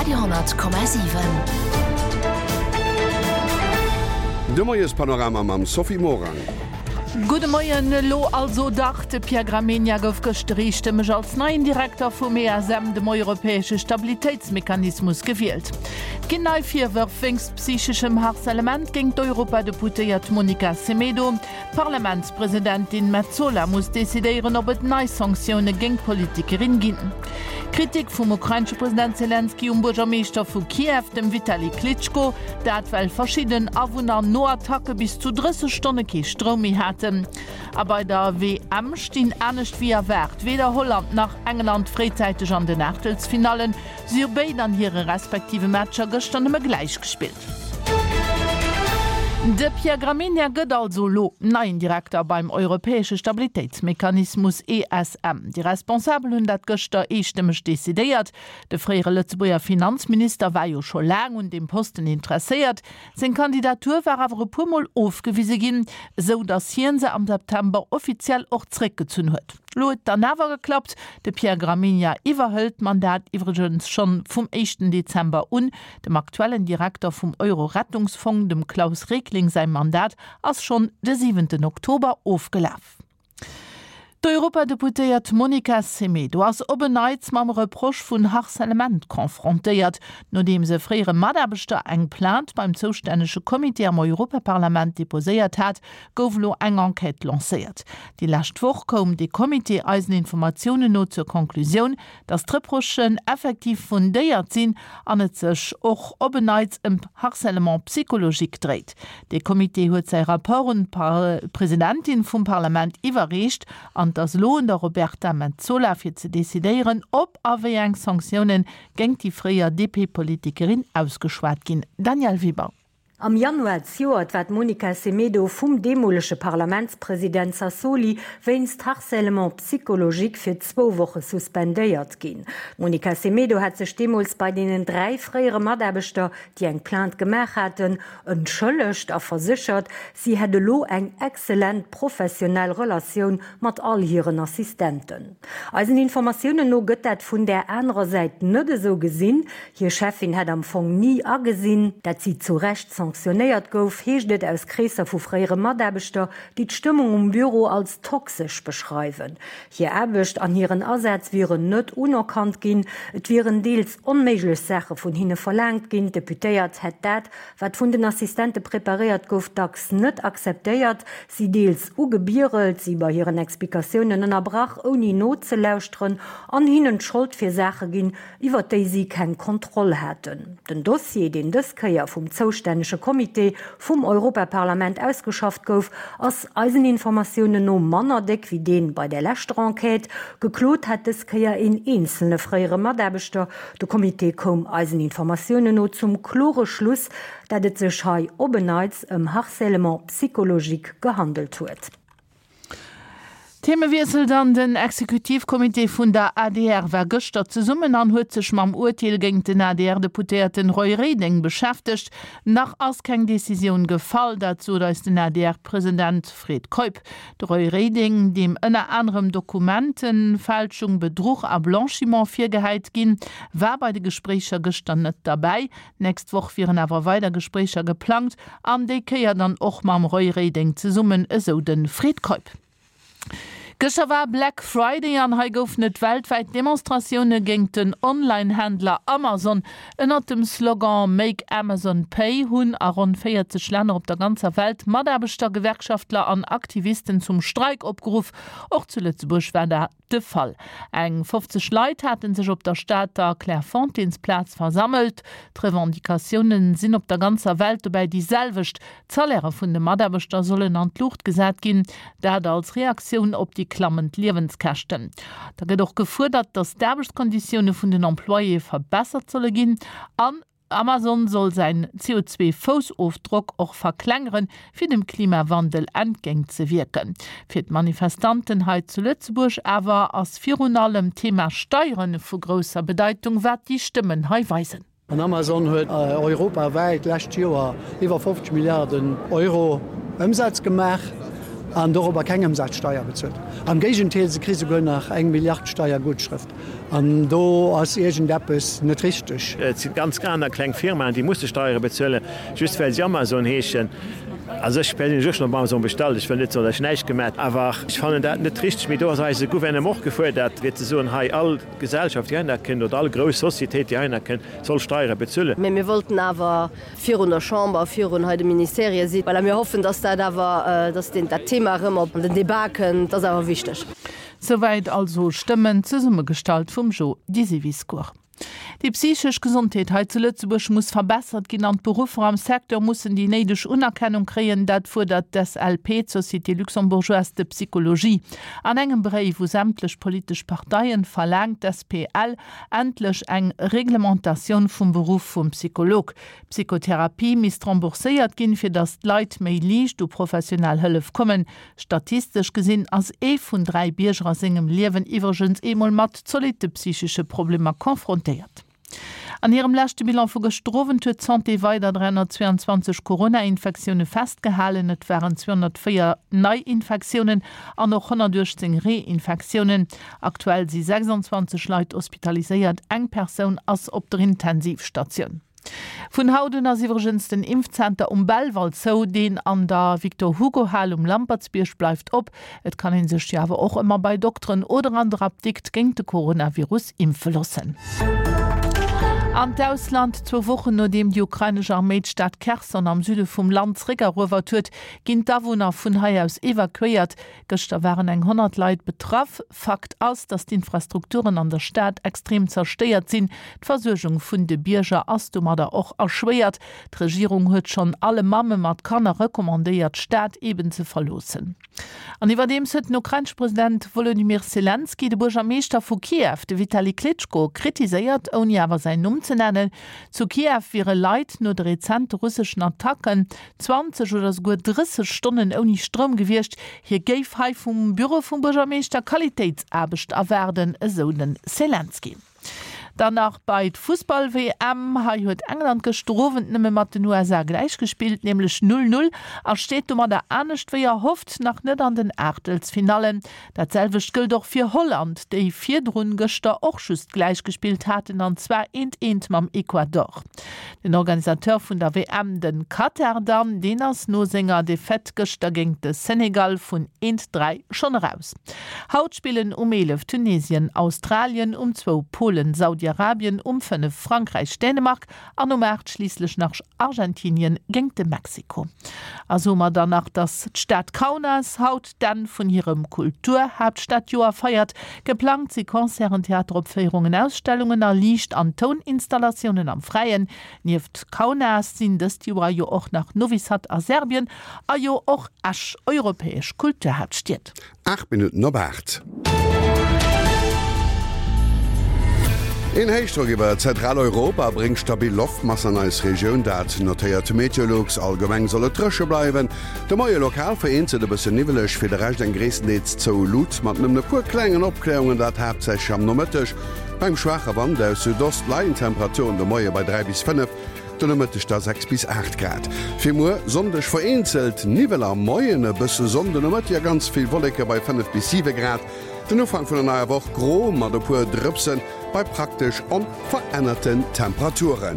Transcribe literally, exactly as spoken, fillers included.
Radio honnert Komma siwen. De Moiespanorama mam Sophie Morang. Gudde Moien, elo also dach, de Pierre Gramegna gouf gëschter eestëmmeg als neien Direkter vum E S M, dem europäesche Stabilitéitsmechanismus, gewielt. Et ginn nei Virwërf wéinst psycheschem Harcèlement géint d'Europadeputéiert Monica Semedo. D'Parlamentspresidentin Metsola muss decidéieren, ob et nei Sanktioune géint d'Politikerin ginn. Kritik vum ukrainesche President Selenskyj um Buergermeeschter vu Kiew, dem Vitali Klitschko, dat well verschidden Awunner no Attacke bis zu drësseg Stonne kee Stroum méi haten. A bei der W M stinn anescht wéi erwaart weder Holland nach England fréizäiteg an den Aachtelsfinallen. Si hu béid an hire respektive Matcher gëschter nëmme gläich gespillt. De Pierre Gramegna gëtt also elo neien Direkter beim europäesche Stabilitéitsmechanismus E S M. Déi Responsabel hunn dat gëschter eestëmmeg decidéiert. De fréiere Lëtzebuerger Finanzminister war jo scho laang un deem Posten interesséiert. Seng Kandidatur war awer e puer Mol ofgewise ginn, esou datt hien se am September offiziell och zréckgezunn huet. Lo huet dann awer geklappt, de Pierre Gramegna iwwerhëlt d'Mandat iwwregens schonn vum éischten Dezember un. Dem aktuellen Direkter vum Euro-Rettungsfong, dem Klaus Regling säi Mandat ass schonn de siwenten Oktober ofgelaf. D'Europadeputéiert Monica Semedo ass op en Neits mam Reproche vun Harcèlement confrontéiert. Nodeems e fréiere Mataarbechter eng Plainte beim zoustännege Comité am Europaparlament deposéiert hat, gouf elo eng Enquête lancéiert. Déi lescht Woch koum de Comité eisen Informatiounen no zur Konklusioun, datt d'Reprochen effektiv fundéiert sinn an et sech och op en Neits ëm Harcèlement psychologique dréit. De Comité huet säi Rapport un d'Presidentin vum Parlament iwwerreecht an et ass elo un der Roberta Metsola fir ze decidéieren, ob a wéi eng Sanktioune géint déi fréier D P-Politikerin ausgeschwat ginn. Danièle Weber. Am Januar zejoert war d'Monica Semedo vum deemolege Parlamentspresident Sassoli wéinst Harcèlement psychologique fir zwou Woche suspendéiert ginn. D'Monica Semedo hat sech deemools bei deenen dräi fréiere Mataarbechter, déi eng Plainte gemaach haten, entschëllegt a verséchert, si hätt elo eng excellent professionell Relatioun mat all hiren Assistenten. Eisen Informatiounen no gëtt dat vun där anerer Säit net esou gesinn. Hir Cheffin hätt am Fong ni agesinn, dat si zu Recht sanktionéiert gouf, heescht et aus Kreesser vu fréiere Mataarbechter, déi d'Stëmmung um Büro als toxesch beschreiwen. Hir Aarbecht an hiren Asaz wieren net unerkannt ginn, et wieren deels onméiglech Saache vun hinne verlaangt ginn. D'Deputéiert hätt dat, wat vun den Assistente preparéiert gouf, dacks net akzeptéiert, si deels ugebierelt, si bei hiren Explikatiounen ënnerbrach, ouni nozelauschteren, an hinnen d'Schold fir Saache ginn, iwwer déi si keng Kontroll haten. Den Dossier, deen dës Kéier vum zoustännege Comité vum Europaparlament ausgeschafft gouf, ass eisen Informatiounen no manner déck wéi dee bei der leschter Enquête. Geklot hat dës Kéier een eenzelne fréiere Mataarbechter. De Comité koum eisen Informatiounen no zum klore Schluss, dat et sech hei op en Neits ëm Harcèlement psychologique gehandelt huet. Themewiessel dann, Den Exekutivcomité vun der A D R war gëschter zesummen an huet sech mam Urteel géint den A D R-Deputéierten Roy Reding beschäftegt. Nach ass keng Decisioun gefall, dat sot eis den A D R-President Fred Keup. De Roy Reding, deem ënner anerem Dokumentenfälschung, Bedruch a Blanchiment virgehäit ginn, war bei de Gespréicher gëschter net derbäi. Nächst Woch wieren awer weider Gespréicher geplangt an déi Kéier dann och mam Roy Reding zesummen, esou de Fred Keup. Gëschter war Black Friday an hei goufen et weltwäit Demonstratioune géint den Online-Händler Amazon. Ënnert dem Slogan Make Amazon Pay hunn a ronn véierzeg Länner op der ganzer Welt Mataarbechter, Gewerkschaftler an Aktivisten zum Streik opgeruff. Och zu Lëtzebuerg war dat de Fall. Eng fofzeg Leit hate sech op der Stater Clairefontaine-Plaz versammelt. D'Revendicatioune sinn op der ganzer Welt dobäi déi selwecht. D'Salairë vun de Mataarbechter sollen an d'Luucht gesat ginn, dat als Reaktioun op déi klammend Liewenskäschten. Da gëtt och gefuerdert, datt d'Aarbechtskonditioune vun den Employéë verbessert solle ginn an Amazon soll säin C O zwee Foussofdrock och verklengeren, fir dem Klimawandel entgéintzewierken. Fir d'Manifestanten hei zu Lëtzebuerg awer ass virun allem d'Thema Steiere vu grousser Bedeitung, wat déi Stëmmen hei weisen. An Amazon huet europawäit d'lescht Joer iwwer fofzeg Milliarden Euro Ëmsaz gemaach. An dorobber keng Ëmsazsteier bezuelt. Am Géigendeel, se kri souguer nach eng Milliard Steiergutschrëft. An do ass iergendeppes net richteg. Et si ganz aner kleng Firmaen, déi musse Steiere bezuelen, just well si Amazon heeschen. Also ech perséinlech hu schonn op Amazon bestallt, ech wëll net soen, datt ech näischt gemaat, awer ech fannen dat net richteg. Mee do ass eise Gouvernement och gefuerdert, fir ze soen, hei all Gesellschaft, déi heihinner kënnt, oder all grouss Societéit, déi heihinner kënnt, soll Steiere bezuelen. Mee mir wollten awer virun der Chamber, virun hei de Ministerië sinn. Voilà, mir hoffen, dass dat awer, dass deen, dat Thema erëm op den Débat kënnt. Dat ass awer wichteg. Souwäit also Stëmmen, zesummegestallt vum Jo Disiviscour. Déi psychesch Gesondheet hei zu Lëtzebuerg muss verbessert ginn an d'Beruffer am Secteur mussen déi néideg Unerkennung kréien. Dat fuerdert d'SLP, d'Société luxembourgeoise de psychologie. An engem Bréif u sämtlech politesch Parteien verlaangt d'SPL endlech eng Reglementatioun vum Beruff vum Psycholog. D'Psychotherapie misst rembourséiert ginn, fir datt d'Leit méi liicht u professionell Hëllef kommen. Statistesch gesinn ass ee vun dräi Bierger a sengem Liewen iwwregens eemol mat zolitte psychesche Problemer konfrontéiert. An hirem leschte Bilan vu gëschter Owend huet d'Santé weider dräihonnertzweeanzwanzeg Corona-Infektioune festgehalen. Et waren zweehonnertvéier Neiinfektiounen an och honnertuechtzéng Reinfektiounen. Aktuell si sechsandzwanzeg Leit hospitaliséiert, eng Persoun ass op der Intensivstatioun. Vun haut un ass iwwregens den Impfzenter um Belval zou. Deen an der Victor Hugo Hal um Lampertsbierg bleift op. Et kann ee sech jo awer och ëmmer bei Dokteren oder an der Apdikt géint de Coronavirus impfe loossen. An d'Ausland, Zwou Wochen nodeem déi ukrainesch Arméi d'Stad Kherson am Süde vum Land zeréckeruewert huet, ginn d'Awunner vun hei aus evakuéiert. Gëschter waren eng honnert Leit betraff. Fakt ass, datt d'Infrastrukturen an der Stad extrem zerstéiert sinn. D'Versuergung vun de Bierger ass domadder och erschwéiert. D'Regierung huet schonn alle Mamme mat Kanner recommandéiert, d'Stad eben ze verloossen. An iwwerdeems huet den ukrainesche President Wolodymyr Selenskyj de Buergermeeschter vu Kiew, de Vitali Klitschko, kritiséiert, ouni awer säin Numm ze nennen. Zu Kiew wiere Leit no de rezente russeschen Attacken zwanzeg oder souguer drësseg Stonnen ouni Stroum gewiescht. Hie géif hei vum Büro vum Buergermeeschter Qualitéitsaarbecht erwaarden, esou de Selenskyj. Dann nach bei d'Fussball-W M. Hei huet England gëschter Owend nëmme mat den U S A gläichgespillt, nämlech null, null, a steet domadder anescht wéi erhofft nach net an den Aachtelsfinallen. Dat selwecht gëllt och fir Holland, déi virdrun gëschter och just gläichgespillt haten, an zwar eent, eent mam Ecuador. Den Organisateur vun der W M, de Katar dann, deen ass no senger Defaite gëschter géint de Senegal vun eent, dräi schonn eraus. Haut spillen um eelef Tunesien, Australien, um zwou Polen, Saudi-Arabien, um fënnef Frankräich, Dänemark an um aacht schliisslech nach Argentinien géint de Mexiko. A soe mer dann nach, dass d'Stad Kaunas haut d'Enn vun hirem Kulturhaaptstadjoer feiert. Geplangt si Concerten, Theateropféierungen, Ausstellungen a Liicht an Touninstalatiounen am Fräien. Nieft Kaunas sinn dëst Joer jo och nach Novi Sad a Serbien a jo och Esch europäesch Kulturhaaptstied. Aacht Minutten op aacht. Een Héichdrock iwwer Zentraleuropa bréngt stabil Loftmassen an eis Regioun, dat notéiert Meteolux. Allgemeng soll et dréche bleiwen, de Moie lokal vereenzelt e bësse niwweleg, fir de Rescht eng gréisstendeels zou Lut mat nëmmen e puer klengen Opkläerungen, dat haaptsächlech am Nomëtteg. Beim schwaache Wand aus Südost leien d'Temperaturen de Moie bei dräi bis fënnef, de Nomëtteg da sechs bis aacht Grad. Fir muer Sonndeg vereenzelt Niwwel am Moien, e bësse Sonn de Nomëtteg a ganz vill Wolleke bei fënnef bis siwe Grad. Den Ufank vun der neier Woch gro mat e puer Drëpsen bei praktesch onverännerten Temperaturen.